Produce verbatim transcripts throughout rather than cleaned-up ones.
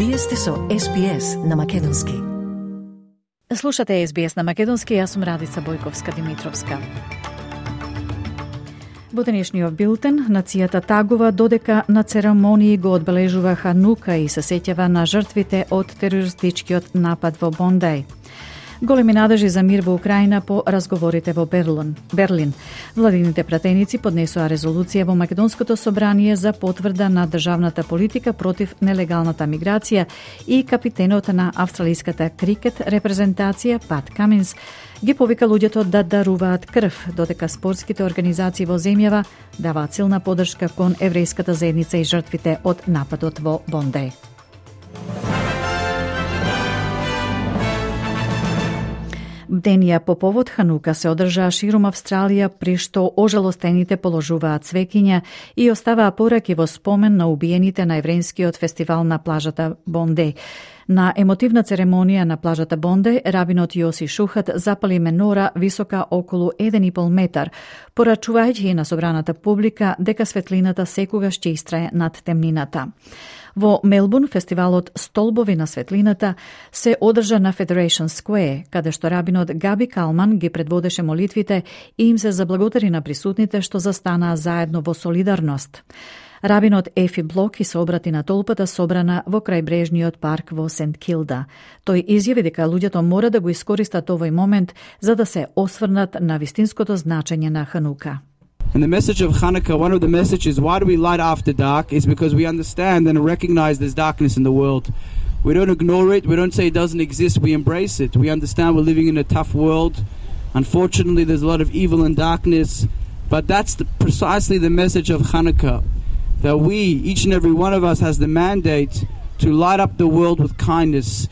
Вие сте со Ес Би Ес на македонски. Слушате Ес Би Ес на македонски, јас сум Радица Бојковска-Димитровска. Во денешниот билтен, нацијата тагува додека на церемонии го одбележува Ханука и се сеќава на жртвите од терористичкиот напад во Бондеј. Големи надежи за мир во Украина по разговорите во Берлин. Берлин. Владините пратеници поднесоа резолуција во Македонското собрание за потврда на државната политика против нелегалната миграција и капитенот на австралиската крикет репрезентација Пат Каминс ги повика луѓето да даруваат крв, додека спортските организации во земјава даваат силна поддршка кон еврејската заедница и жртвите од нападот во Бондеј. Бденија по повод Ханука се одржаа ширум Австралија, при што ожалостените положуваат цвеќиња и оставаа пораки во спомен на убиените на еврејскиот фестивал на плажата Бондеј. На емотивна церемонија на плажата Бондеј, рабинот Јоси Шухат запали менора висока околу еден и пол метар, порачувајќи на собраната публика дека светлината секогаш ќе истрае над темнината. Во Мелбурн, фестивалот Столбови на светлината се одржа на Federation Square, каде што рабинот Габи Калман ги предводеше молитвите и им се заблагодари на присутните што застанаа заедно во солидарност. Рабинот Ефи Блок и се обрати на толпата собрана во крајбрежниот парк во Сент Килда. Тој изјави дека луѓето мора да го искористат овој момент за да се осврнат на вистинското значење на Ханука. And the message of Hanukkah, one of the messages, why do we light after dark, is because we understand and recognize there's darkness in the world. We don't ignore it, we don't say it doesn't exist, we embrace it. We understand we're living in a tough world. Unfortunately, there's a lot of evil and darkness, but that's the, precisely the message of Hanukkah, that we, each and every one of us, has the mandate to light up the world with kindness.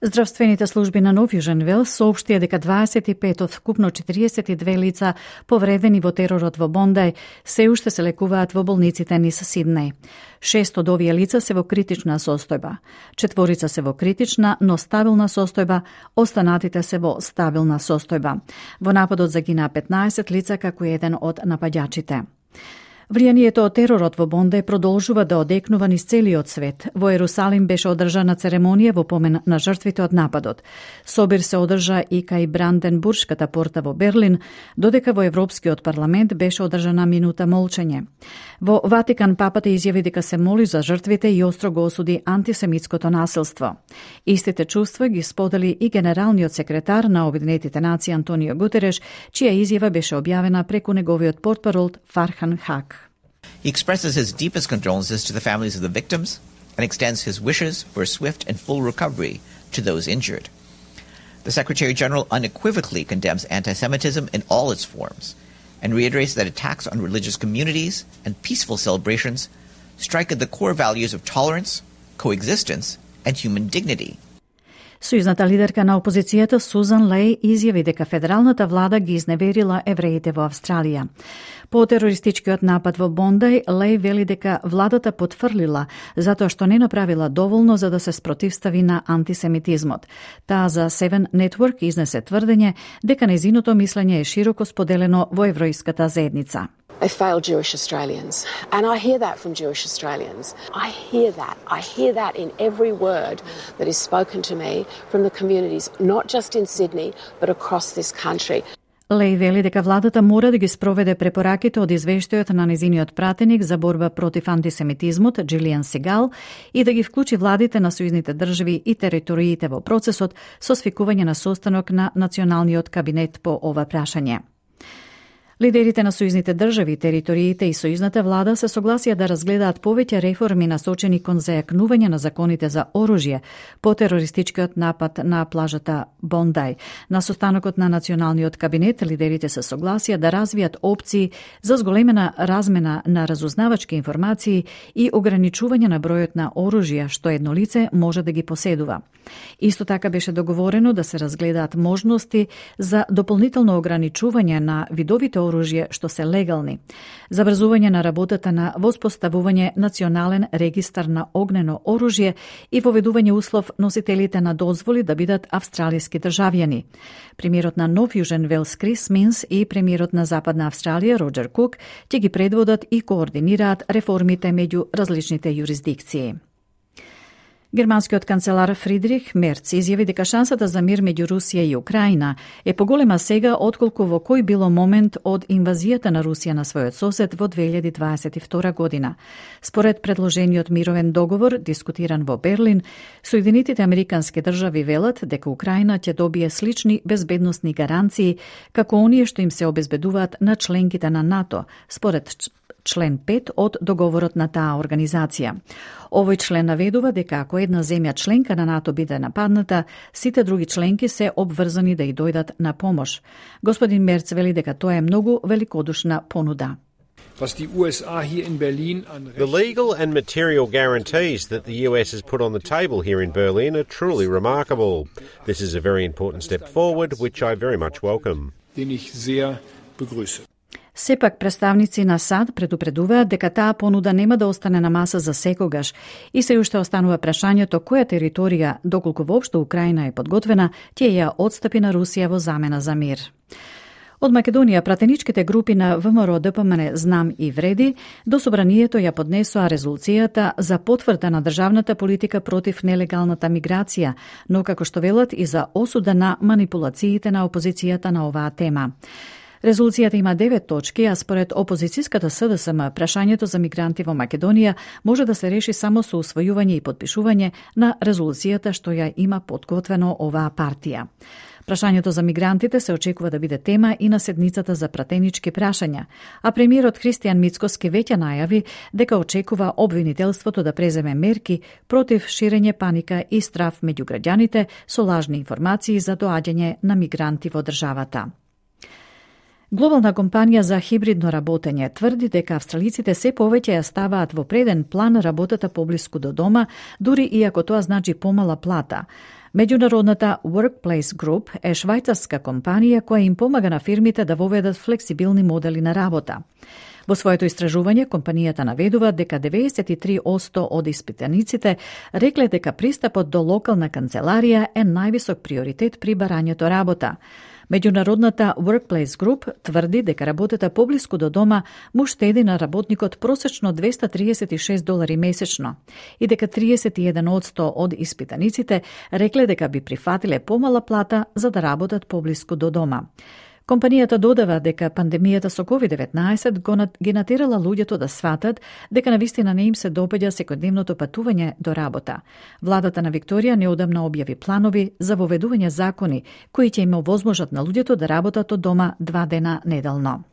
Здравствените служби на Нов Јужен Велс соопштија дека дваесет и пет од вкупно четириесет и две лица повредени во теророт во Бондеј се уште се лекуваат во болниците низ Сиднеј. Шест од овие лица се во критична состојба. Четворица се во критична, но стабилна состојба, останатите се во стабилна состојба. Во нападот загинаа петнаесет лица, како еден од нападјачите. Влијанието од теророт во Бондеј продолжува да одекнува низ целиот свет. Во Ерусалим беше одржана церемонија во помен на жртвите од нападот. Собир се одржа и кај Бранденбуршката порта во Берлин, додека во Европскиот парламент беше одржана минута молчење. Во Ватикан папата изјави дека се моли за жртвите и остро го осуди антисемитското насилство. Истите чувства ги сподели и генералниот секретар на Обединетите нации Антонио Гутереш, чија изјава беше објавена преку неговиот портпарол Фархан Хак. He expresses his deepest condolences to the families of the victims and extends his wishes for a swift and full recovery to those injured. The Secretary-General unequivocally condemns anti-Semitism in all its forms and reiterates that attacks on religious communities and peaceful celebrations strike at the core values of tolerance, coexistence, and human dignity. Сојузната лидерка на опозицијата Сузан Леј изјави дека федералната влада ги изневерила евреите во Австралија. По терористичкиот напад во Бондеј, Леј вели дека владата потврлила затоа што не направила доволно за да се спротивстави на антисемитизмот. Таа за Seven Network изнесе тврдење дека нејзиното мислење е широко споделено во еврејската заедница. They fail Jewish Australians. And I hear that from Jewish Australians. I hear that. I hear that in every word that is spoken to me from the communities, not just in Sydney, but across this country. Леј вели дека владата мора да ги спроведе препораките од извештајот на незиниот пратеник за борба против антисемитизмот, Джилијан Сегал, и да ги вклучи владите на сојузните држави и териториите во процесот со свикување на состанок на националниот кабинет по ова прашање. Лидерите на сојузните држави, териториите и сојузната влада се согласија да разгледаат повеќе реформи насочени кон зајакнување на законите за оружје по терористичкиот напад на плажата Бондеј. На состанокот на националниот кабинет лидерите се согласија да развијат опции за зголемена размена на разузнавачки информации и ограничување на бројот на оружја што едно лице може да ги поседува. Исто така беше договорено да се разгледаат можности за дополнително ограничување на видовите оружје што се легални, забрзување на работата на воспоставување национален регистар на огнено оружје и воведување услов носителите на дозволи да бидат австралиски државјани. Премиерот на Нов Јужен Велс Крис Минс и премиерот на Западна Австралија Роџер Кук ќе ги предводат и координираат реформите меѓу различните јурисдикции. Германскиот канцелар Фридрих Мерц изјави дека шансата за мир меѓу Русија и Украина е поголема сега отколку во кој било момент од инвазијата на Русија на својот сосед во две илјади дваесет и втора година. Според предложениот мировен договор, дискутиран во Берлин, Соединетите американски држави велат дека Украина ќе добие слични безбедносни гаранции како оние што им се обезбедуваат на членките на НАТО, според член пет од договорот на таа организација. Овој член наведува дека ако една земја членка на НАТО биде нападната, сите други членки се обврзани да и дојдат на помош. Господин Мерц вели дека тоа е многу великодушна понуда. The legal and material guarantees that the U S has put on the table here in Berlin are truly remarkable. This is a very important step forward, which I very much welcome. Сепак представници на САД предупредуваат дека таа понуда нема да остане на маса за секогаш и се уште останува прашањето која територија, доколку воопшто Украина е подготвена, ќе ја отстапи на Русија во замена за мир. Од Македонија, пратеничките групи на ВМРО Д П М Н Знам и Вреди до собранието ја поднесоа резолуцијата за потврда на државната политика против нелегалната миграција, но како што велат и за осуда на манипулациите на опозицијата на оваа тема. Резолуцијата има девет точки, а според опозицијската С Д С М, прашањето за мигранти во Македонија може да се реши само со усвојување и подпишување на резолуцијата што ја има подготвено оваа партија. Прашањето за мигрантите се очекува да биде тема и на седницата за пратенички прашања, а премиерот Христијан Мицкоски веќе најави дека очекува обвинителството да преземе мерки против ширење паника и страв меѓу граѓаните со лажни информации за доаѓање на мигранти во државата. Глобална компанија за хибридно работење тврди дека австралиците се повеќе ја ставаат во преден план работата поблиску до дома, дури и ако тоа значи помала плата. Меѓународната Workplace Group е швајцарска компанија која им помага на фирмите да воведат флексибилни модели на работа. Во своето истражување, компанијата наведува дека деветдесет и три одсто од испитаниците рекле дека пристапот до локална канцеларија е највисок приоритет при барањето работа. Меѓународната Workplace Group тврди дека работата поблиску до дома му штеди на работникот просечно двеста триесет и шест долари месечно и дека триесет и еден одсто од испитаниците рекле дека би прифатиле помала плата за да работат поблиску до дома. Компанијата додава дека пандемијата со ковид деветнаесет ги натерала луѓето да сватат дека навистина не им се допаѓа секојдневното патување до работа. Владата на Викторија неодамна објави планови за воведување закони кои ќе им овозможат на луѓето да работат од дома два дена неделно.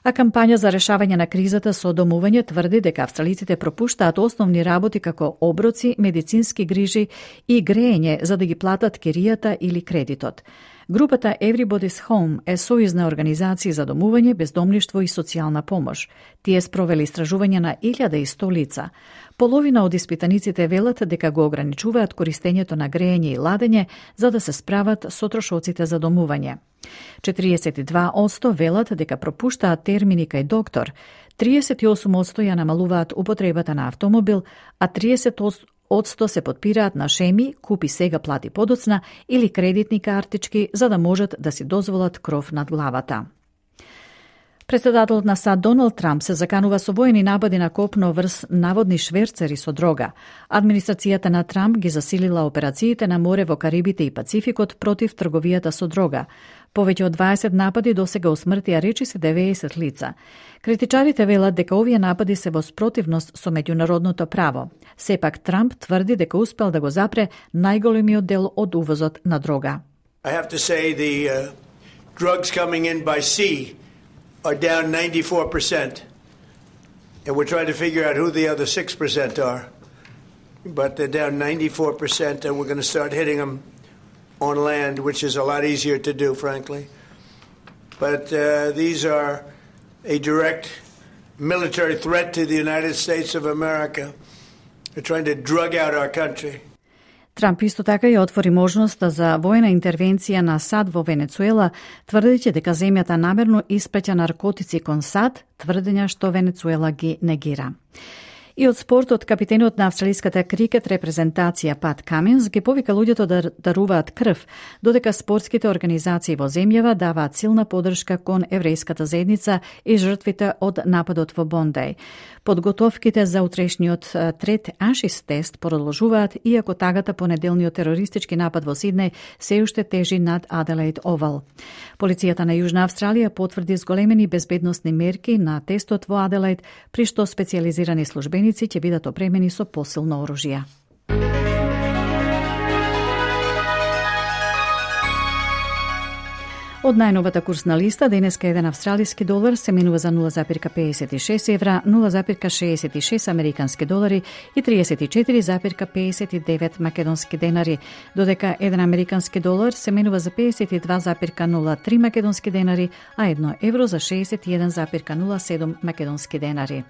А кампања за решавање на кризата со домување тврди дека австралиците пропуштаат основни работи како оброци, медицински грижи и греење за да ги платат киријата или кредитот. Групата Everybody's Home е сојузна организација за домување, бездомништво и социјална помош. Тие спровели истражување на илјада и сто лица. Половина од испитаниците велат дека го ограничуваат користењето на греење и ладење за да се справат со трошоците за домување. четириесет и два одсто велат дека пропуштаат термини кај доктор, триесет и осум одсто ја намалуваат употребата на автомобил, а триесет одсто се подпираат на шеми, купи сега плати подоцна или кредитни картички за да можат да си дозволат кров над главата. Председателот на САД Доналд Трамп се заканува со воени напади на копно врз наводни шверцери со дрога. Администрацијата на Трамп ги засилила операциите на море во Карибите и Пацификот против трговијата со дрога. Повеќе од дваесет напади досега усмртија речиси деветдесет лица. Критичарите велат дека овие напади се во спротивност со меѓународното право. Сепак Трамп тврди дека успел да го запре најголемиот дел од увозот на дрога. I have to say the uh, drugs coming in by sea are down ninety-four percent. And we're trying to figure out who the other six percent are. But they're down ninety-four percent and we're going to start hitting them on land, which is a lot easier to do, frankly. But uh, these are a direct military threat to the United States of America. They're trying to drug out our country. Трамп исто така ја отвори можноста за воена интервенција на САД во Венецуела, тврдејќи дека земјата намерно испраќа наркотици кон САД, тврдења што Венецуела ги негира. И од спортот, капитенот на австралиската крикет репрезентација Пат Каминс ги повика луѓето да даруваат крв, додека спортските организации во земјава даваат силна поддршка кон еврејската заедница и жртвите од нападот во Бондеј. Подготовките за утрешниот трет Ашис тест продолжуваат, иако тагата по неделниот терористички напад во Сиднеј се уште тежи над Аделаид Овал. Полицијата на Јужна Австралија потврди зголемени безбедносни мерки на тестот во Аделаид, при што специјализирани службеници ќе бидат опремени со посилно оружје. Од најновата курсна листа, денеска еден австралиски долар се менува за нула запирка педесет и шест евра, нула запирка шеесет и шест американски долари и триесет и четири запирка педесет и девет македонски денари, додека еден американски долар се менува за педесет и два запирка нула три македонски денари, а едно евро за шеесет и еден запирка нула седум македонски денари.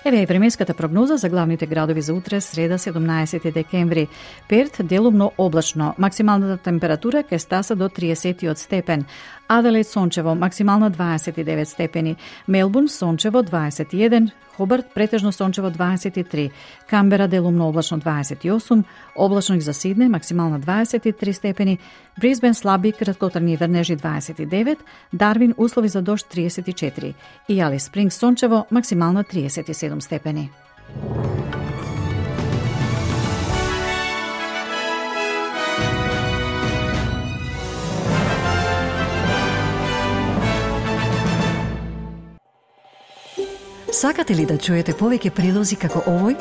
Еве е временската прогноза за главните градови за утре, среда седумнаесети декември. Перт делумно облачно, максималната температура ќе стаса до триесет степен. Аделаид сончево, максимална дваесет и девет степени. Мелбурн сончево дваесет и еден, Хобарт претежно сончево дваесет и три, Камбера делумно облачно дваесет и осум, облачно и за Сиднеј максимална дваесет и три степени, Брисбен слаби краткотрajни врнежи дваесет и девет, Дарвин услови за дожд триесет и четири и Алис Спрингс сончево максимална триесет и седум степени. Сакате ли да чуете повеќе прилози како овој?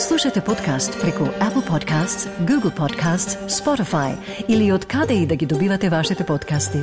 Слушате подкаст преку Apple Podcasts, Google Podcasts, Spotify или од каде и да ги добивате вашите подкасти.